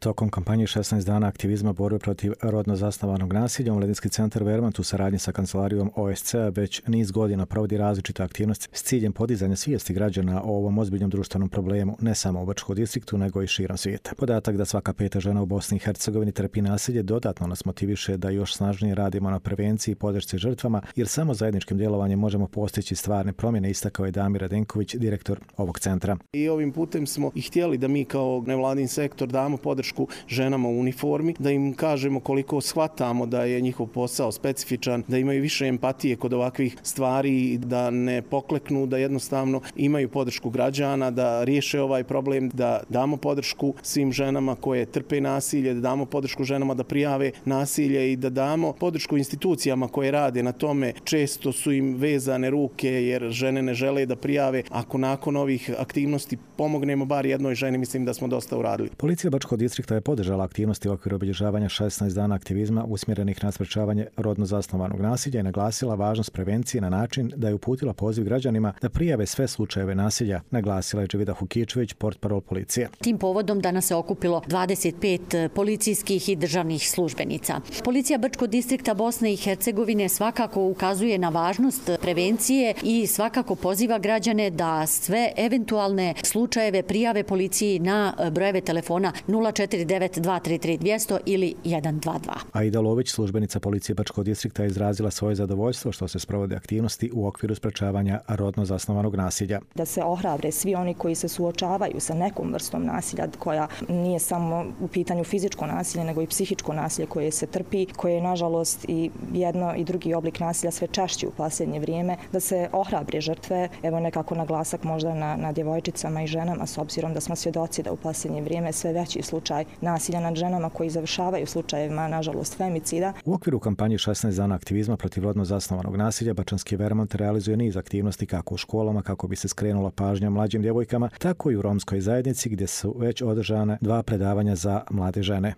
Tokom kampanje 16 dana aktivizma borbe protiv rodno zasnovanog nasilja, Omladinski centar Vermont u saradnji sa kancelarijom OSCE već niz godina provodi različite aktivnosti s ciljem podizanja svijesti građana o ovom ozbiljnom društvenom problemu, ne samo u Brčkom distriktu, nego i širom svijeta. Podatak da svaka peta žena u Bosni i Hercegovini trpi nasilje dodatno nas motiviše da još snažnije radimo na prevenciji i podršci žrtvama, jer samo zajedničkim djelovanjem možemo postići stvarne promjene, istakao je Damir Radenković, direktor ovog centra. I ovim putem smo i htjeli da mi kao nevladin sektor damo podršku ženama u uniformi, da im kažemo koliko shvatamo da je njihov posao specifičan, da imaju više empatije kod ovakvih stvari, da ne pokleknu, da jednostavno imaju podršku građana, da riješe ovaj problem, da damo podršku svim ženama koje trpe nasilje, da damo podršku ženama da prijave nasilje i da damo podršku institucijama koje rade na tome. Često su im vezane ruke jer žene ne žele da prijave. Ako nakon ovih aktivnosti pomognemo bar jednoj ženi, mislim da smo dosta uradili. Policija Brčkog distrikta je podržala aktivnosti u okviru obilježavanja 16 dana aktivizma usmjerenih na sprečavanje rodno zasnovanog nasilja i naglasila važnost prevencije na način da je uputila poziv građanima da prijave sve slučajeve nasilja, naglasila je Dževida Hukičević, portparol policije. Tim povodom danas se okupilo 25 policijskih i državnih službenica. Policija Brčkog distrikta Bosne i Hercegovine svakako ukazuje na važnost prevencije i svakako poziva građane da sve eventualne slučajeve prijave policiji na brojeve telefona 049 233 200 ili 122. Aida Lović, službenica policije Brčkog distrikta, je izrazila svoje zadovoljstvo što se sprovode aktivnosti u okviru sprečavanja rodno zasnovanog nasilja. Da se ohrabre svi oni koji se suočavaju sa nekom vrstom nasilja koja nije samo u pitanju fizičko nasilje, nego i psihičko nasilje koje se trpi, koje je nažalost i jedno i drugi oblik nasilja sve češći u posljednje vrijeme, da se ohrabre žrtve, evo nekako naglasak možda na djevojčicama i ženama, s obzirom da smo svjedoci da u posljednje vrijeme sve veći slučaj nasilja nad ženama koji završavaju slučajevima, nažalost, femicida. U okviru kampanje 16 dana aktivizma protiv rodno zasnovanog nasilja, Bačanski Vermont realizuje niz aktivnosti kako u školama kako bi se skrenula pažnja mlađim djevojkama, tako i u romskoj zajednici gdje su već održane 2 predavanja za mlade žene.